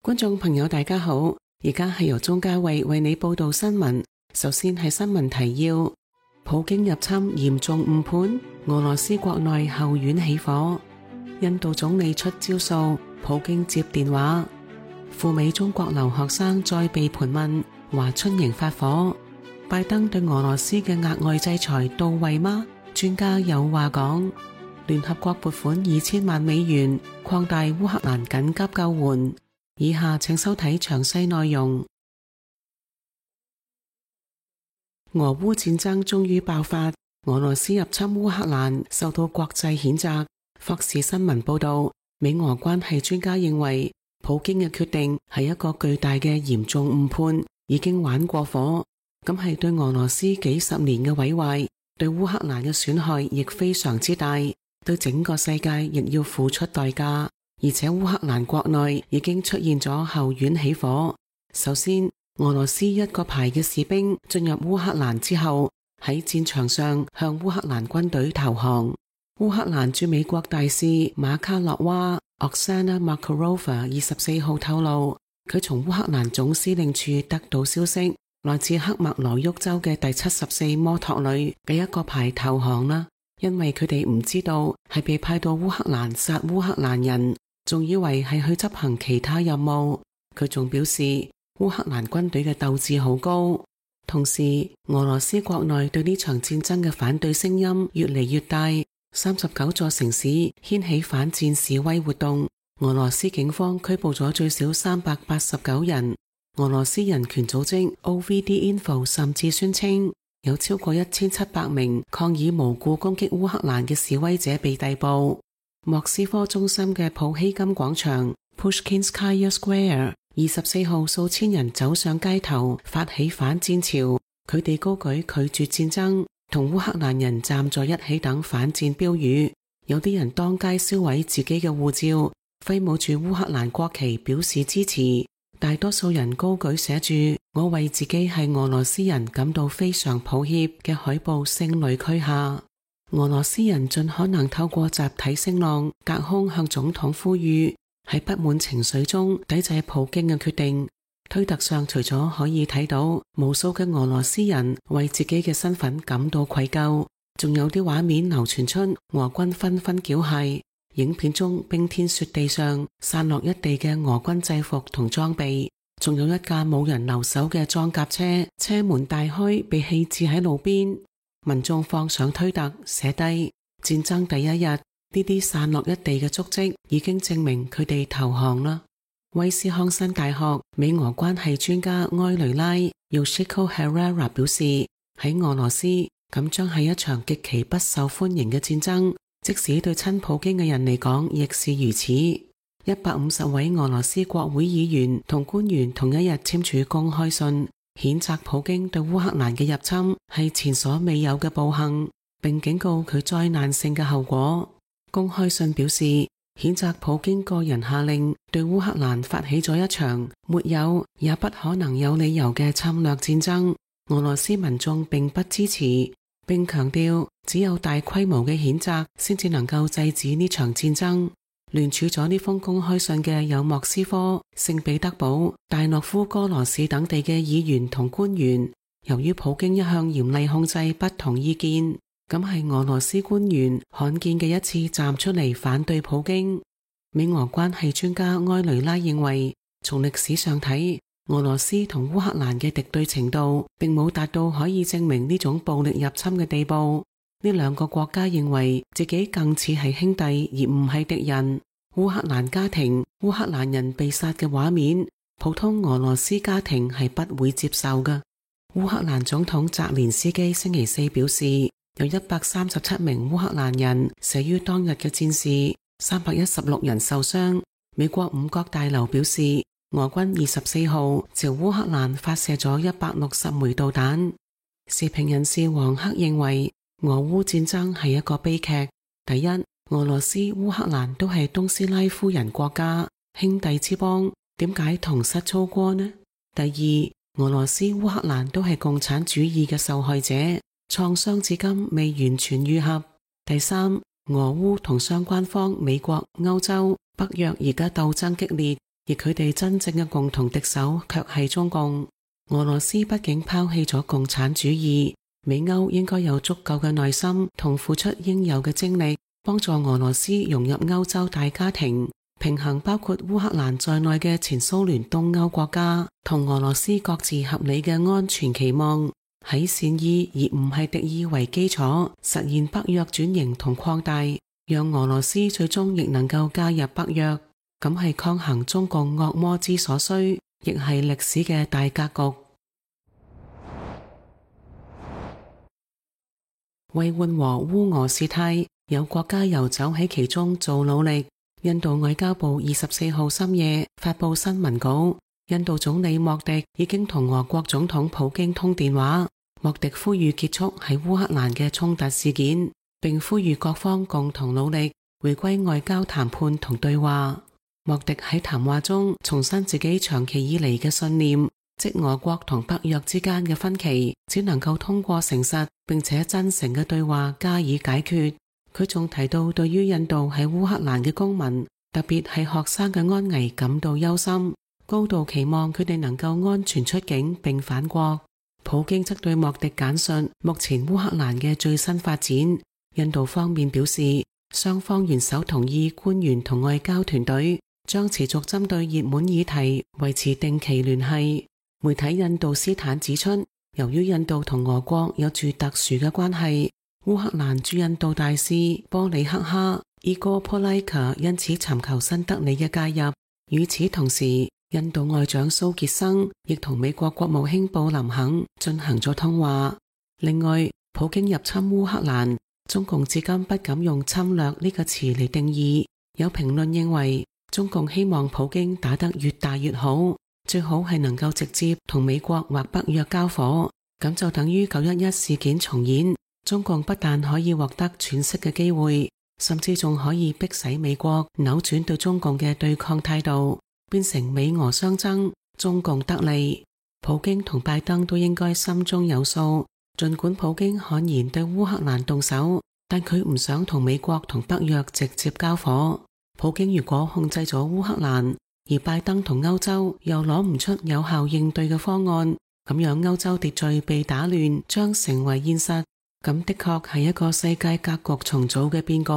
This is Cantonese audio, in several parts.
觀眾朋友大家好，而家係由鍾嘉慧為你報道新聞。首先係新聞提要：普京入侵嚴重誤判，俄羅斯國內後院起火。印度總理出招數，普京接電話。赴美中國留學生再被盤問，華春瑩發火。拜登對俄羅斯嘅額外制裁到位嗎？專家有話講。聯合國撥款2000萬美元擴大烏克蘭緊急救援。以下請收睇詳細內容。俄烏戰爭終於爆發，俄羅斯入侵烏克蘭受到國際譴責。霍士新聞報道，美俄關係專家認為，普京嘅決定係一個巨大嘅嚴重誤判，已經玩過火，咁係對俄羅斯幾十年嘅毀壞，對烏克蘭嘅損害亦非常之大，對整個世界亦要付出代價。而且烏克蘭國內已經出現咗後院起火。首先，俄羅斯一個排嘅士兵進入烏克蘭之後，喺戰場上向烏克蘭軍隊投降。烏克蘭駐美國大使馬卡洛娃 Oksana Markarova 24號透露，佢從烏克蘭總司令處得到消息，來自克麥羅沃州嘅第74摩托旅嘅一個排投降啦，因為佢哋唔知道係被派到烏克蘭殺烏克蘭人。仲以為係去執行其他任務。佢仲表示，烏克蘭軍隊嘅鬥志好高。同時，俄羅斯國內對呢場戰爭嘅反對聲音越嚟越大，39座城市掀起反戰示威活動。俄羅斯警方拘捕咗最少389人。俄羅斯人權組織 OVD Info 甚至宣稱，有超過1700名抗議無故攻擊烏克蘭嘅示威者被逮捕。莫斯科中心嘅普希金廣場 Pushkinskaya Square 24號數千人走上街頭，發起反戰潮。佢哋高舉拒絕戰爭同烏克蘭人站在一起等反戰標語。有啲人當街燒毀自己嘅護照，揮舞住烏克蘭國旗表示支持。大多數人高舉寫住我為自己係俄羅斯人感到非常抱歉嘅海報，聲淚俱下。俄羅斯人盡可能透過集體聲浪隔空向總統呼籲，喺不滿情緒中抵制普京嘅決定。推特上除咗可以睇到無數嘅俄羅斯人為自己嘅身份感到愧疚，仲有啲畫面流傳出俄軍紛紛繳械。影片中冰天雪地上散落一地嘅俄軍制服同裝備，仲有一架冇人留守嘅裝甲車，車門大開被棄置喺路邊。民眾放上推特寫低戰爭第一日，呢啲散落一地嘅足跡已經證明佢哋投降啦。威斯康辛大學美俄關係專家埃雷拉 Yoshiko Herrera 表示，喺俄羅斯咁將係一場極其不受歡迎嘅戰爭，即使對親普京嘅人嚟講亦是如此。150位俄羅斯國會議員同官員同一日簽署公開信，譴責普京對烏克蘭嘅入侵係前所未有嘅暴行，並警告佢災難性嘅後果。公開信表示，譴責普京個人下令對烏克蘭發起咗一場沒有也不可能有理由嘅侵略戰爭，俄羅斯民眾並不支持，並強調只有大規模嘅譴責先至能夠制止呢場戰爭。聯署咗呢封公開信嘅有莫斯科、聖彼得堡、大諾夫哥羅市等地嘅議員同官員。由於普京一向嚴厲控制不同意見，咁係俄羅斯官員罕見嘅一次站出嚟反對普京。美俄關係專家埃雷拉認為，從歷史上睇，俄羅斯同烏克蘭嘅敵對程度並冇達到可以證明呢種暴力入侵嘅地步。呢兩個國家認為自己更似係兄弟而唔係敵人。烏克蘭家庭、烏克蘭人被殺嘅畫面，普通俄羅斯家庭係不會接受嘅。烏克蘭總統澤連斯基星期四表示，有137名烏克蘭人死於當日嘅戰事，316人受傷。美國五角大樓表示，俄軍24號朝烏克蘭發射咗160枚導彈。時評人士黃克認為，俄烏戰爭係一個悲劇。第一，俄羅斯、烏克蘭都係東斯拉夫人國家，兄弟之邦，點解同室操戈呢？第二，俄羅斯、烏克蘭都係共產主義嘅受害者，創傷至今未完全愈合。第三，俄烏同相關方美國、歐洲、北約而家鬥爭激烈，而佢哋真正嘅共同敵手卻係中共。俄羅斯畢竟拋棄咗共產主義，美歐應該有足夠嘅耐心同付出應有嘅精力，幫助俄羅斯融入歐洲大家庭，平衡包括烏克蘭在內嘅前蘇聯東歐國家同俄羅斯各自合理嘅安全期望，喺善意而唔係敵意為基礎，實現北約轉型同擴大，讓俄羅斯最終亦能夠加入北約。咁係抗衡中共惡魔之所需，亦係歷史嘅大格局。為緩和烏俄事態，有國家游走喺其中做努力。印度外交部24號深夜發佈新聞稿，印度總理莫迪已經同俄國總統普京通電話，莫迪呼籲結束喺烏克蘭嘅衝突事件，並呼籲各方共同努力回歸外交談判同對話。莫迪喺談話中重申自己長期以嚟嘅信念，即俄國同北約之間嘅分歧只能夠通過誠實並且真誠嘅對話加以解決。佢仲提到對於印度喺烏克蘭嘅公民，特別係學生嘅安危感到憂心，高度期望佢哋能夠安全出境並返國。普京則對莫迪簡述目前烏克蘭嘅最新發展。印度方面表示，雙方元首同意官員同外交團隊將持續針對熱門議題維持定期聯繫。媒體印度斯坦指出，由於印度同俄國有住特殊嘅關係，烏克蘭駐印度大使波里克哈伊戈波拉卡因此尋求新德里嘅介入。與此同時，印度外長蘇傑生亦同美國國務卿布林肯進行咗通話。另外，普京入侵烏克蘭，中共至今不敢用侵略呢個詞嚟定義。有評論認為，中共希望普京打得越大越好，最好係能夠直接同美國或北約交火，咁就等於911事件重演。中共不但可以獲得喘息嘅機會，甚至仲可以迫使美國扭轉對中共嘅對抗態度，變成美俄相爭，中共得利。普京同拜登都應該心中有數，儘管普京悍然對烏克蘭動手，但佢唔想同美國同北約直接交火。普京如果控制咗烏克蘭，而拜登同歐洲又攞唔出有效應對嘅方案，咁樣歐洲秩序被打亂將成為現實。咁的確係一個世界格局重組嘅變局。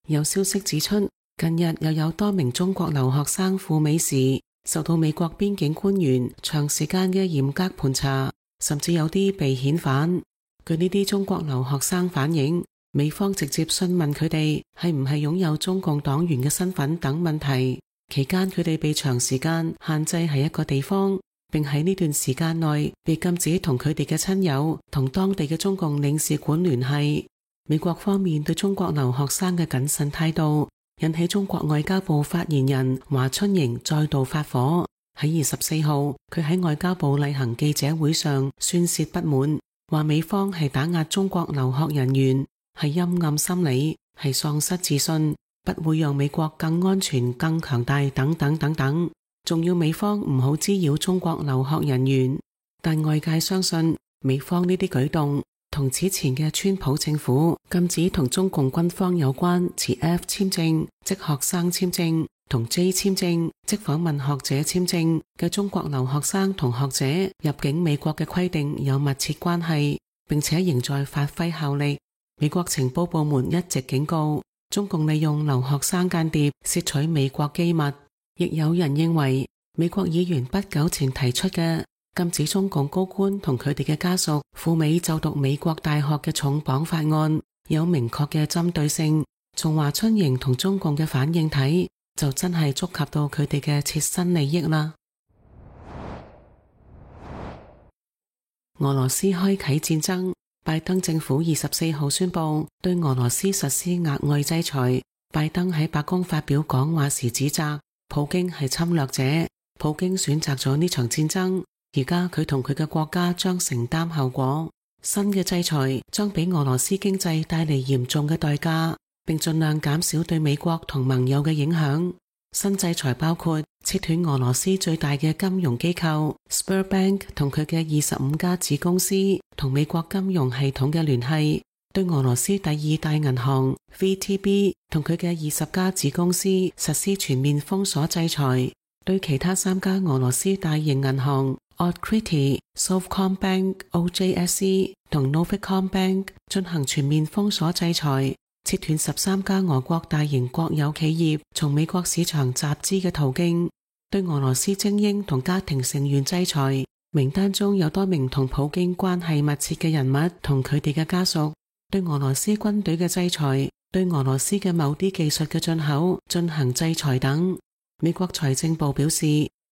有消息指出，近日又有多名中國留學生赴美時，受到美國邊境官員長時間嘅嚴格盤查，甚至有啲被遣返。據呢啲中國留學生反映，美方直接詢問佢哋係唔係擁有中共黨員嘅身份等問題，期間佢哋被長時間限制喺一個地方，並喺呢段時間內被禁止同佢哋嘅親友同當地嘅中共領事館聯繫。美國方面對中國留學生嘅謹慎態度，引起中國外交部發言人華春瑩再度發火。喺24號，佢喺外交部例行記者會上宣泄不滿，話美方係打壓中國留學人員，係陰暗心理，係喪失自信，不會讓美國更安全、更強大等等等等。仲要美方唔好滋擾中國留學人員，但外界相信美方呢啲舉動同此前嘅川普政府禁止同中共軍方有關持 F 簽證即學生簽證同 J 簽證即訪問學者簽證嘅中國留學生同學者入境美國嘅規定有密切關係，並且仍在發揮效力。美國情報部門一直警告，中共利用留學生間諜竊取美國機密。亦有人認為，美國議員不久前提出嘅禁止中共高官同佢哋嘅家屬赴美就讀美國大學嘅重磅法案，有明確嘅針對性。從華春瑩同中共嘅反應睇，就真係觸及到佢哋嘅切身利益啦。俄羅斯開啟戰爭，拜登政府24號宣布對俄羅斯實施額外制裁。拜登喺白宮發表講話時指責普京係侵略者，普京選擇咗呢場戰爭，而家佢同佢嘅國家將承擔後果。新嘅制裁將俾俄羅斯經濟帶嚟嚴重嘅代價，並盡量減少對美國同盟友嘅影響。新制裁包括切斷俄羅斯最大嘅金融機構 Sberbank 同佢嘅25家子公司同美國金融系統嘅聯繫，對俄羅斯第二大銀行 VTB 同佢嘅20家子公司實施全面封鎖制裁，對其他3家俄羅斯大型銀行 Otkritie、Sovcombank、OJSC 同 Novicombank 進行全面封鎖制裁，切斷13家俄國大型國有企業從美國市場集資嘅途徑，對俄羅斯精英同家庭成員制裁，名單中有多名同普京關係密切嘅人物同佢哋嘅家屬。對俄羅斯軍隊嘅制裁，對俄羅斯嘅某啲技術嘅進口進行制裁等。美國財政部表示，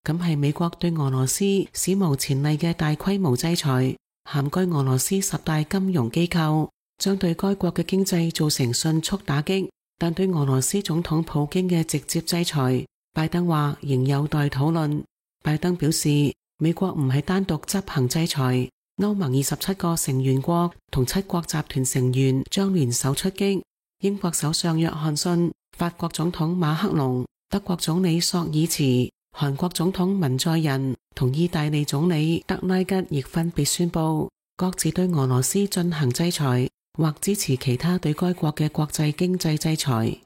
咁係美國對俄羅斯史無前例嘅大規模制裁，涵蓋俄羅斯10大金融機構，將對該國嘅經濟造成迅速打擊。但對俄羅斯總統普京嘅直接制裁，拜登話仍有待討論。拜登表示，美國唔係單獨執行制裁，歐盟27個成員國同7國集團成員將聯手出擊。英國首相約翰遜、法國總統馬克龍、德國總理朔爾茨、韓國總統文在寅同意大利總理德拉吉亦分別宣布，各自對俄羅斯進行制裁，或支持其他對該國嘅國際經濟制裁。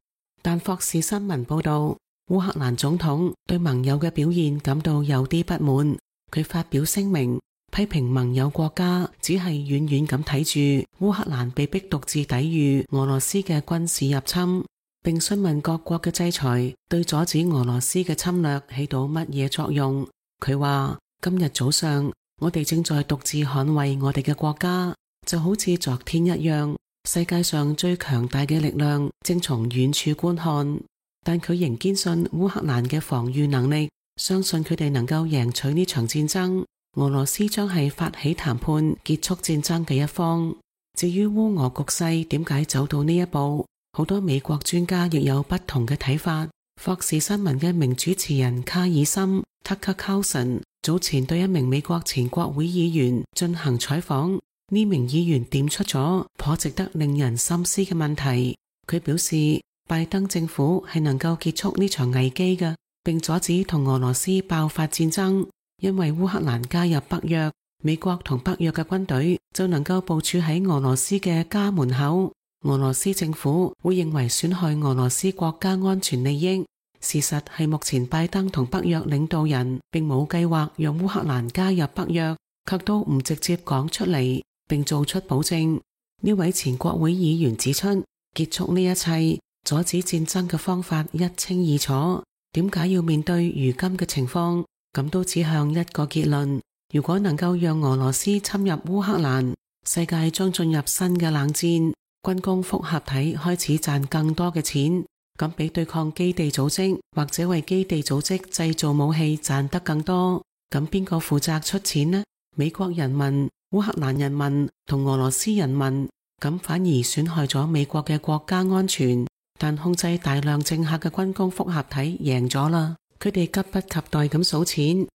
但霍士新聞報道，烏克蘭總統對盟友嘅表現感到有啲不滿，佢發表聲明，批評盟友國家只係遠遠咁睇住烏克蘭被逼獨自抵禦俄羅斯嘅軍事入侵，並詢問各國嘅制裁對阻止俄羅斯嘅侵略起到乜嘢作用。佢話，今日早上我哋正在獨自捍衛我哋嘅國家，就好似昨天一樣，世界上最強大嘅力量正從遠處觀看。但佢仍堅信烏克蘭嘅防禦能力，相信佢哋能夠贏取呢場戰爭。俄羅斯將係發起談判結束戰爭嘅一方。至於烏俄局勢點解走到呢一步，好多美國專家亦有不同嘅睇法。霍士新聞嘅名主持人卡爾森 Tucker Carlson 早前對一名美國前國會議員進行採訪，呢名議員點出咗頗值得令人深思嘅問題。佢表示，拜登政府係能夠結束呢場危機嘅，並阻止同俄羅斯爆發戰爭。因為烏克蘭加入北約，美國同北約嘅軍隊就能夠部署喺俄羅斯嘅家門口。俄羅斯政府會認為損害俄羅斯國家安全利益。事實係目前拜登同北約領導人並冇計劃讓烏克蘭加入北約，卻都唔直接講出嚟，並做出保證。呢位前國會議員指出，結束呢一切，阻止戰爭嘅方法一清二楚。點解要面對如今嘅情況？咁都指向一個結論，如果能夠讓俄羅斯侵入烏克蘭，世界將進入新嘅冷戰，軍工複合體開始賺更多嘅錢，咁比對抗基地組織或者為基地組織製造武器賺得更多。咁邊個負責出錢呢？美國人民、烏克蘭人民同俄羅斯人民，咁反而損害咗美國嘅國家安全。但控制大量政客嘅軍工複合體贏咗啦。佢哋急不及待咁數錢。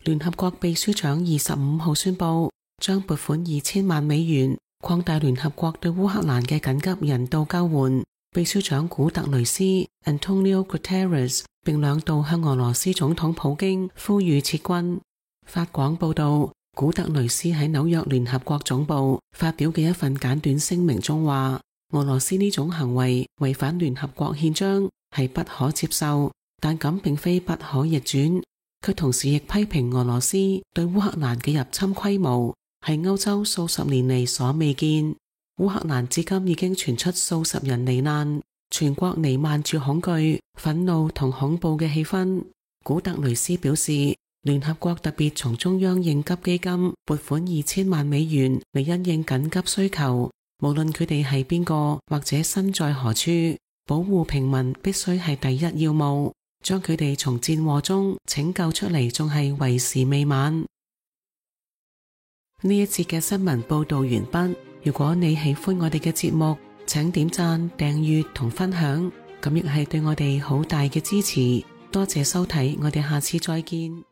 聯合國秘書長25號宣布，將撥款2000萬美元，擴大聯合國對烏克蘭嘅緊急人道救援。秘書長古特雷斯 Antonio Guterres 並2度向俄羅斯總統普京呼籲撤軍。法廣報道，古特雷斯喺紐約聯合國總部發表嘅一份簡短聲明中話，俄羅斯呢種行為違反聯合國憲章，係不可接受，但咁並非不可逆轉。佢同時亦批評俄羅斯對烏克蘭嘅入侵規模係歐洲數十年嚟所未見。烏克蘭至今已經傳出數十人罹難，全國彌漫住恐懼、憤怒同恐怖嘅氣氛。古特雷斯表示，聯合國特別從中央應急基金撥款2000萬美元嚟因應緊急需求。無論佢哋係邊個或者身在何處，保護平民必須係第一要務。將佢哋從戰禍中拯救出嚟，仲係為時未晚。呢一節嘅新聞報道完畢。如果你喜歡我哋嘅節目，請點讚、訂閱同分享，咁亦係對我哋好大嘅支持。多謝收睇，我哋下次再見。